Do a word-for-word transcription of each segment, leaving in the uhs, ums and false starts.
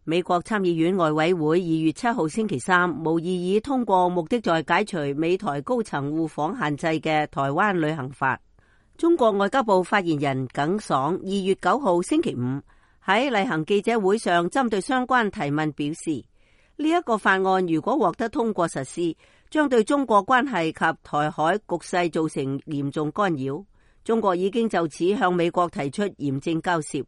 美國參議院外委會二月七號星期三無異議通過目的在解除美台高層互訪限制嘅台灣旅行法。中國外交部發言人耿爽二月九號星期五喺例行記者會上針對相關提問表示，呢一個法案如果獲得通過實施，將對中國關係及台海局勢造成嚴重干擾。中國已經就此向美國提出嚴正交涉。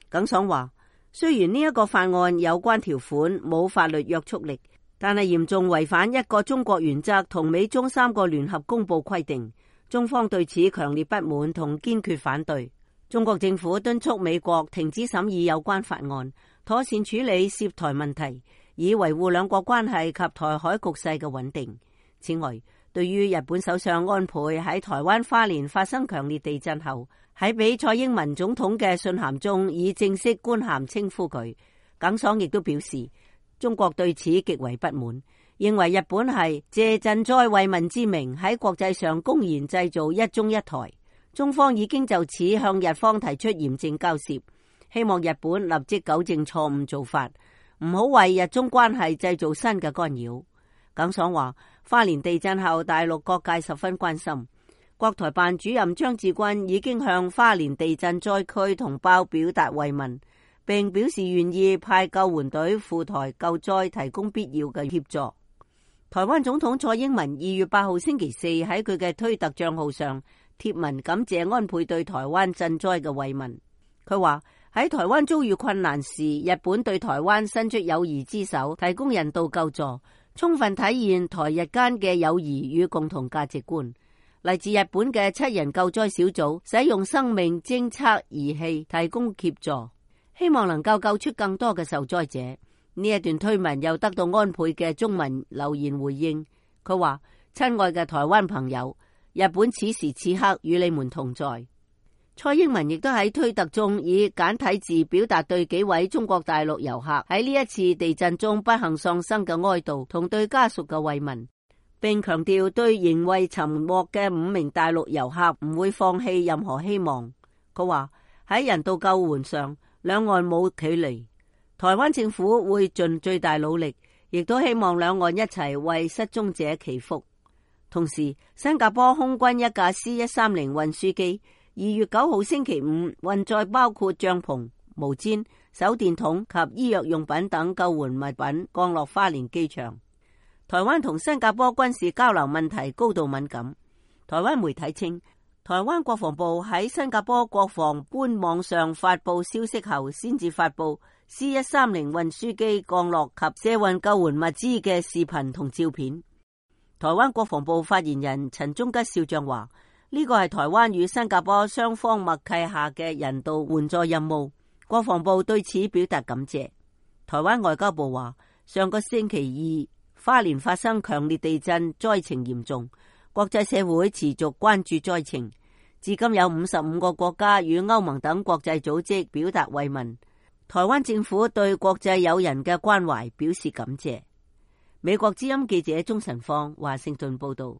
耿爽話，雖然呢一個法案有關條款冇法律約束力，但係嚴重違反一個中國原則同美中三個聯合公報規定，中方對此強烈不滿同堅決反對。中國政府敦促美國停止審議有關法案，妥善處理涉台問題，以維護兩國關係及台海局勢嘅穩定。此外，對於日本首相安倍喺台灣花蓮發生強烈地震後，喺俾蔡英文總統嘅信函中以正式官函稱呼佢，耿爽亦都表示，中國對此極為不滿，認為日本係借賑災慰問之名喺國際上公然製造一中一台。中方已經就此向日方提出嚴正交涉，希望日本立即糾正錯誤做法，唔好為日中關係製造新嘅干擾。耿爽話，花蓮地震後大陸各界十分關心，國台辦主任張志軍已經向花蓮地震災區同胞表達慰問，並表示願意派救援隊赴台救災，提供必要嘅協助。台灣總統蔡英文二月八號星期四喺佢嘅推特賬號上貼文感謝安倍對台灣賑災嘅慰問。佢話，喺台灣遭遇困難時，日本對台灣伸出友誼之手，提供人道救助，充分體現台日間嘅友誼與共同價值觀。嚟自日本嘅七人救災小組使用生命偵測儀器提供協助，希望能夠救出更多嘅受災者。呢一段推文又得到安倍嘅中文留言回應，佢話，親愛嘅台灣朋友，日本此時此刻與你們同在。蔡英文亦都喺推特中以簡體字表達對幾位中國大陸遊客喺呢一次地震中不幸喪生嘅哀悼同對家屬嘅慰問，並強調對仍未尋獲嘅五名大陸遊客唔會放棄任何希望。佢話，喺人道救援上，兩岸冇距離，台灣政府會盡最大努力，亦都希望兩岸一齊為失蹤者祈福。同時，新加坡空軍一架 C 一三零運輸機二月九號星期五運載包括帳篷、毛氈、手電筒及醫藥用品等救援物品降落花蓮機場。台灣同新加坡軍事交流問題高度敏感。台灣媒體稱，台灣國防部喺新加坡國防官網上發布消息後，先至發布 C 一三零運輸機降落及卸運救援物資嘅視頻同照片。台灣國防部發言人陳忠吉少將話，呢個係台灣與新加坡雙方默契下嘅人道援助任務，國防部對此表達感謝。台灣外交部話，上個星期二花蓮發生強烈地震，災情嚴重，國際社會持續關注災情。至今有五十五個國家與歐盟等國際組織表達慰問，台灣政府對國際友人嘅關懷表示感謝。美國之音記者鍾晨芳華盛頓報道。